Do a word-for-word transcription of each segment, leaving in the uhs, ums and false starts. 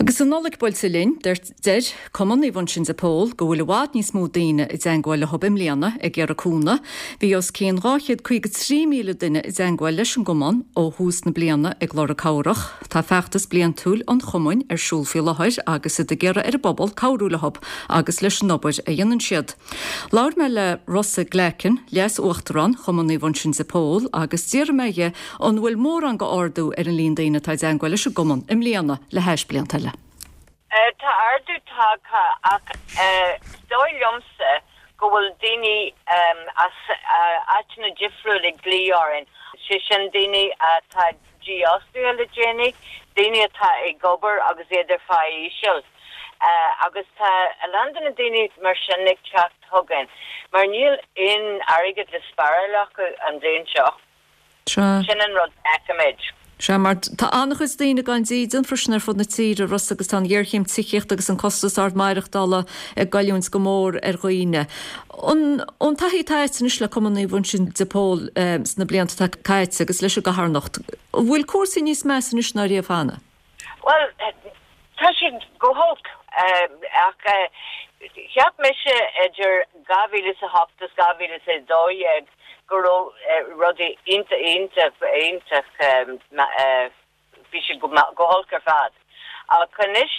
Agus an Nollaig buailte linn, deir Cumann Naomh Uinseann de Pól go bhfuil i bhfad níos mó daoine i dteangmháil leo i mbliana ag iarraidh cúnamh. Bhí os cionn dhá chéad caoga trí míle duine i dteangmháil leis an gcumann ó thús na bliana ag lorg cabhrach. Tá feachtas bliantúil an chumainn ar siúl faoi láthair agus iad ag iarraidh ar an bpobal cabhrú leo agus leis an obair a dhéanann siad. Labhair mé le Rossa Glackin, Leas-Uachtarán Chumann Naomh Uinseann de Pól, agus d'iarr mé dhe an bhfuil mórán go ardú ar an líon daoine atá i dteangmháil leis an gcumann i mbliana le hais blianta eile. Tá ardú tagtha ach is dóigh liomsa go bhfuil daoine as áiteanna difriúla ag glaoch orainn, sé sin daoine atá dífhostaithe le déanaí, daoine atá ag obair agus iad ar phá íseal. Agus tá a lán de na daoine mar sin ag teacht chugainn mar níl aon airgead le spáráil acu an bhliain seo. Sin an rud a fheicimid. Sea, mar tá an-chuid daoine gan dídean freisin ar fud na tíre, Rossa, agus tá an ghéarchéim tithíochta agus an costas ard maireachtála ag goilliúint go mór ar dhaoine. An ón taithí atá agat anois le Cumann Naomh Uinseann de Pól sna blianta atá caite agus leis an gcarthanacht, an bhfuil cúrsaí níos measa anois ná riamh cheana? Bhuel, tá siad go holc ach cheap mise idir dhá mhíle is a hocht is dhá mhíle is a dó dhéag go raibh rudaí iontach iontach iontach bhí sé go go holc ar fad. Ach anois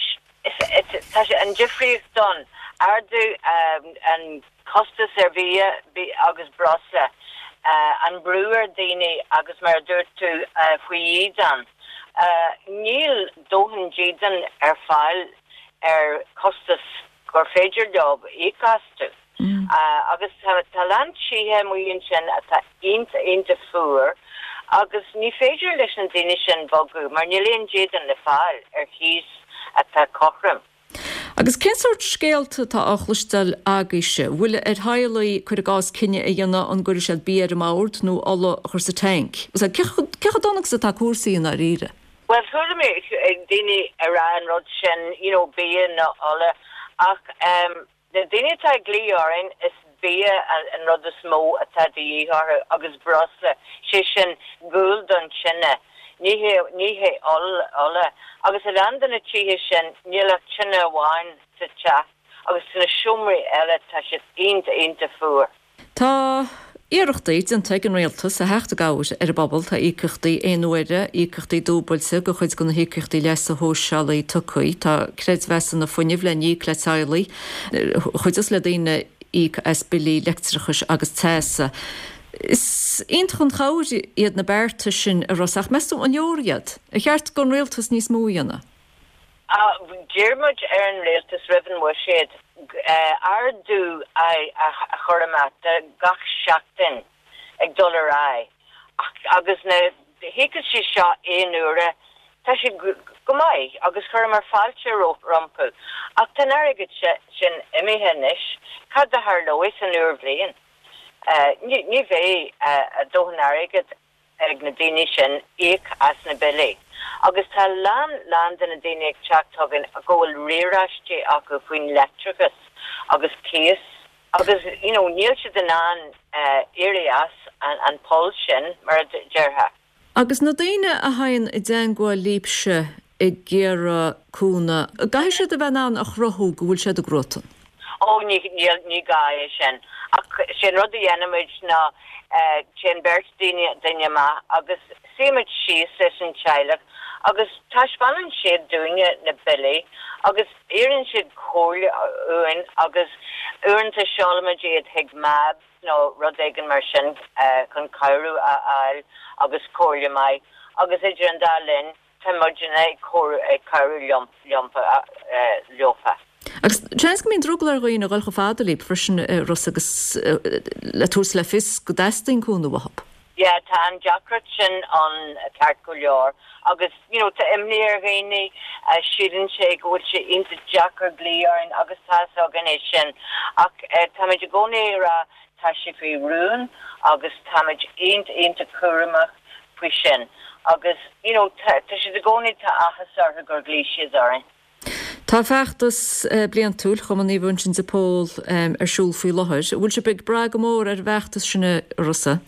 tá sé an difríocht ann, ardú an costas ar bhia agus breosla, an brú ar daoine agus mar a dúirt tú faoi dhídean. Níl dóthain dídean ar fáil ar costas gur féidir leo íoc astu. Agus tá a lán tithe amuigh ansin atá iontach iontach fuar agus ní féidir leis na daoine sin bogadh mar níl aon dídean le fáil ar chíos atá cothrom. Agus cén sórt scéalta atá á chloisteáil agaibhse? Bhfuil ar theaghlaigh, cuir i gcás, cinneadh a dhéanamh an gcuirfidh siad bia ar an mbord nó ola a chur sa tanc? Cé chomh dona agus atá cúrsaí i ndáiríre? Bhuel, chuala mé daoine ag rá an rud sin, you know, bia nó ola, ach um, na daoine atá ag glaoch orainn is bia an rud is mó atá de dhíth orthu agus breosla, sé sin gual don tine, ní hé ní hé ola. Agus a lán de na tithe sin níl ach tine amháin sa teach agus sna seomraí eile tá siad iontach iontach fuar. Tá iarrachtaí déanta ag an rialtas a theacht i gcabhair ar an bpobal. Tá íocaíochtaí aonuaire, íocaíochtaí dúbailte de chuid de na híocaíochtaí leasa shóisialaigh tugtha. Tá creidmheasanna fuinnimh le n-íoc le teaghlaigh, chuideos le daoine íoc as billí leictreachais agus teasa. Is iontach an chabhair iad na bearta sin, a Rossa, ach meas tú an leor iad? Ar cheart don rialtas níos mó a dhéanamh? D'iarr muid ar an rialtas roimh an bhuiséad ardú a chur amach gach seachtain ag dul ar aghaidh agus na híocaíochtaí seo aon uaire, tá sé go maith agus chuireamar fáilte rompu. Ach tá an airgead sin imithe anois, cad a tharlóidh san úr bhliain? Ní bheidh dóthain airgid ag na daoine sin íoc as na billí. Agus tá a lán lán de na daoine ag teacht chugainn go bhfuil riaráistí acu faoin leictreachas agus cíos agus you know níl siad in ann éirí as an an poll sin mar a déarfá. Agus na daoine a thagann i dteangmháil libhse ag iarraidh cúnamh, an gcaithfidh siad a bheith in ann a chruthú go bhfuil siad i gcruatan? Ó, ní, níl, ní gá é sin. Ach sé an rud a dhéanaimid ná téann beirt daoine, duine amach agus suímid síos leis an teaghlach agus taispeánann siad dúinne na billí agus iarrann siad comhairle uainn agus uaireanta seolaimid iad chuig MABS nó rud éigin mar sin chun cabhrú a fháil agus comhairle maith agus idir an dá linn tá muidne ag cabhrú leofa. Agus seans go mbíonn drogall ar dhaoine a dhul chomh fada libh freisin, a Rossa, agus le tabhairt le fios go dteastaíonn cúnamh uathu. Yeah, tá an deacracht sin ann ceart go leor agus you know tá imní ar dhaoine, síleann sé go bhfuil sé iontach deacair glaoch orainn agus tá fhios againn é sin ach táimid i gcónaí ag rá tá sé faoi rún agus táimid iontach iontach cúramach faoi sin agus you know tá siad i gcónaí tá áthas orthu gur ghlaoigh siad orainn. Tá feachtas bliantúil Chumann Naomh Uinseann de Pól ar siúl faoi láthair. An bhfuil sibh ag brath go mór ar an bhfeachtas sin, a Rossa?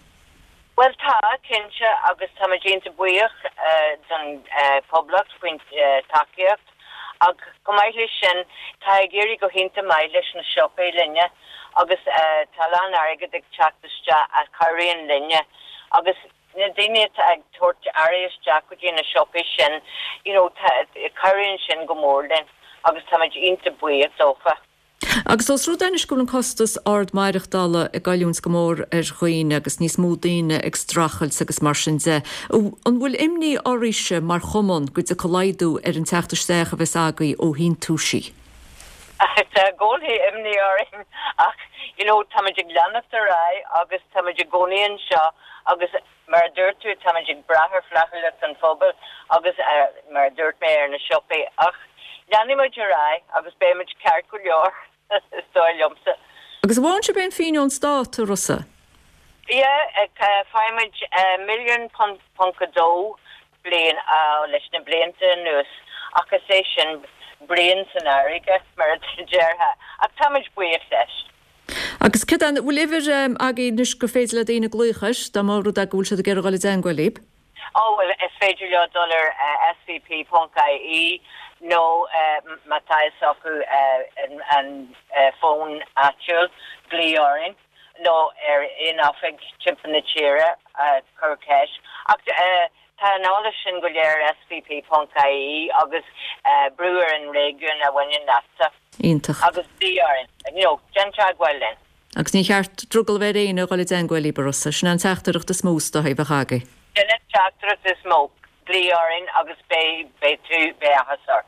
Bhuel tá, cinnte, agus táimid iontach buíoch don Phoblacht faoin tacaíocht Ach chomh maith leis sin, tá ag éirí go hiontach maith leis na siopaí linne agus tá a lán airgead ag teacht isteach a chabhraíonn linne agus na daoine atá ag tabhairt earraí isteach go dtí na siopaí sin, you know, cabhraíonn sin go mór linn agus táimid iontach buíoch dófa. Agus os rud é anois go bhfuil an costas ard maireachtála ag goilliúint go mór ar dhaoine agus níos mó daoine ag streachailt agus mar sin de, an bhfuil imní oraibhse mar chumann go dtiocfaidh laghdú ar an teacht isteach a bheas agaibh ó shíntiúisí? Tá i gcónaí imní orainn ach you know táimid ag leanacht ar aghaidh agus táimid i gcónaí anseo agus mar a dúirt tú táimid ag brath ar fhlaithiúlacht an phobail agus mar a dúirt mé ar na siopaí ach leanfaimid ar aghaidh agus beimid ceart go leor is dóigh liomsa. Agus an bhfaigheann sibh aon phingin ón stát, a Rossa? Yeah, faighimid milliún ponc a dó bliain leis na blianta anuas ach is é sin braon san fharraige mar a déarfá ach táimid buíoch leis. Agus cad an bhfuil uimhir agaibh anois gur féidir le daoine glaoch air dá mba rud é go bhfuil siad ag iarraidh dul i dteagmháil libh? Ó bhuel is féidir leo dul ar svp ponc ie nó má tá fhios acu an fón áitiúil glaoigh orainn nó ar aon oifig timpeall na tíre cuir ceist. Ach tá an eolas sin go léir ar svp ponc ie agus brú ar an réigiún a bhaineann leatsa. Iontach. Agus glaoigh orainn, you know, déan teagmháil linn. Agus ní cheart drogall a bheith ar éinne a dhul i dteagmháil libh, a Rossa, sin an teachtaireacht is mó is dóigh a bheadh agaibh. Sin an teachtaireacht is mó, glaoigh orainn agus beidh, beidh tú, beidh áthas ort.